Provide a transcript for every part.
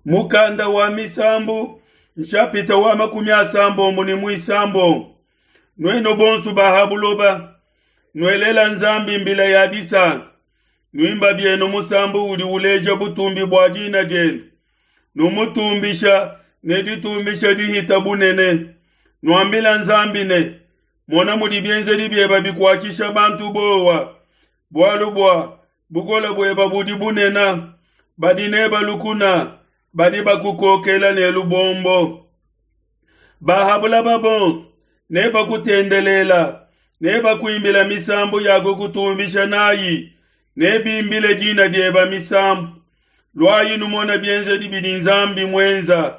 Mukanda wa Misambu, nshapita wa 31. Nuenu bonso ba ha buloba, nuelela Nzambi mbila ya disanka, nuimba bienu musambu udi uleja butumbi bua dina diende, numutumbisha ne ditumbisha dihita bunene. Nuambila Nzambi ne, mona mudi bienzedi bieba bikuatshisha bantu bowa, bualu bua bukole bueba budi bunena, badi neba lukuna, badi bakukokela ne lubombo. Ba ha bulaba bonso ne bakutendelela, ne bakuimbila misambu ya kukutumbisha nayi, ne bimbile dina dieba misambu. Luayi numona bienzedi bidi Nzambi muenza,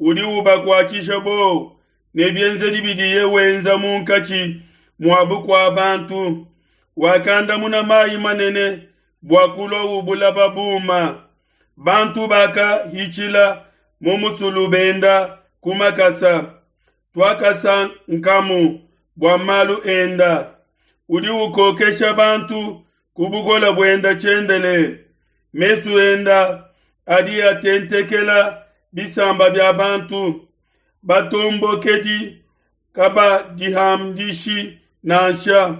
udi ubakuatshisha bowa ne bienzedi bidiye wenza munkatshi mua bukua bantu. Wakandamuna mayi manene bua kulua ubulaba buma. Bantu bakahitshila mu musulu benda ku makasa. Tuakasankamu bua malu enda. Udi ukokesha bantu ku bukole buenda tshiendelele. Mesu enda adi atentekela bisamba bia bantu. Batombokedi kabadihandishi nansha.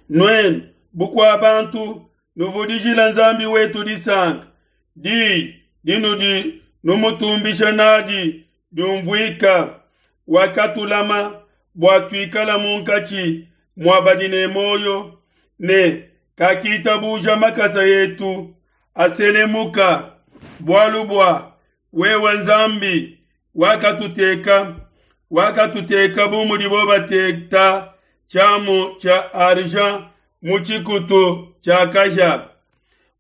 Nuenu bukua bantu, nuvudijila Nzambi wetu disanka. Diyi dinudi numutumbisha nadi diumvuika. Wakatulama bua tuikala munkatshi mua badi ne muoyo, ne kakitabuja makasa etu aselemuka. Bualu bua wewe Nzambi wakatuteka, wakatuteka bu mudibo bateta tshiamu tshia argent mu tshikutu tshia kahia.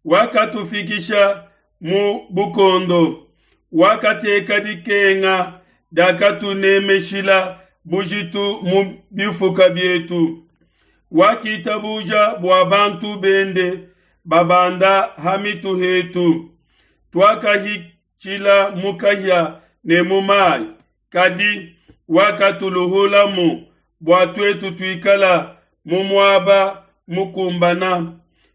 Wakatufikisha mu bukondo, wakateka dikenga diakatunemeshila bujitu mu bifuka bietu. Wakitabuja bua bantu bende babanda ha mitu hetu. Tuakahitshila mu kahia ne mu mayi, kadi wakatuluhulamu bua tuetu tuikala mu muaba mukumbana.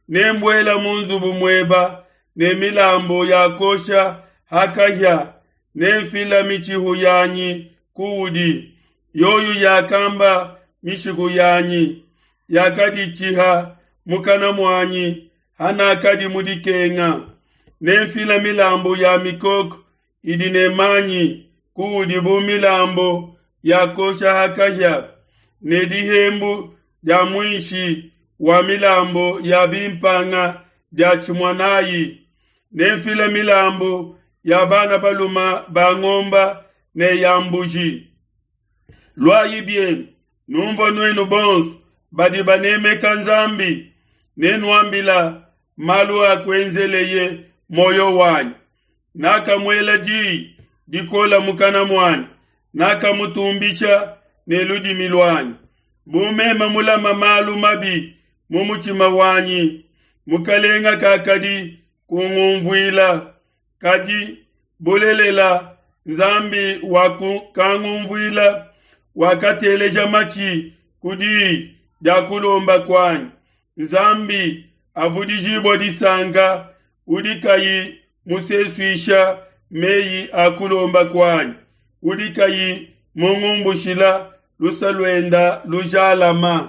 Nembuela mu nzubu mueba ne milambu ya kosha ha kahia, nemfila mitshihu yanyi kuudi. Yoyo yakamba mishiku yanyi, yakaditshiha mukana muanyi hanakadi mu dikenga. Nemfila milambu ya mikoko idi ne manyi kuudi bu milambu ya kosha ha kahia, ne dihembu dia muinshi wa milambu ya bimpanga dia tshimua nayi. Nemfila milambu ya bana baluma ba ngomba ne ya mbuji. Luayi bienu, numvua nuenu bonso badi banemeka Nzambi, nenuambila malu akuenzeleye muoyo wanyi. Nakamuela diyi dikola mukana muanyi, nakamutumbisha ne ludimi luanyi. Bu meme mulama malu mabi mu mutshima wanyi, Mukalenga kakadi kungumvuila. Kadi bulelela Nzambi wakangumvuila, wakateleja matshi ku diyi dia kulomba kuanyi. Nzambi avudijibue disanka, udi kayi musesuisha meyi a kulomba kuanyi, udi kayi mungumbushila luse luenda lujalama.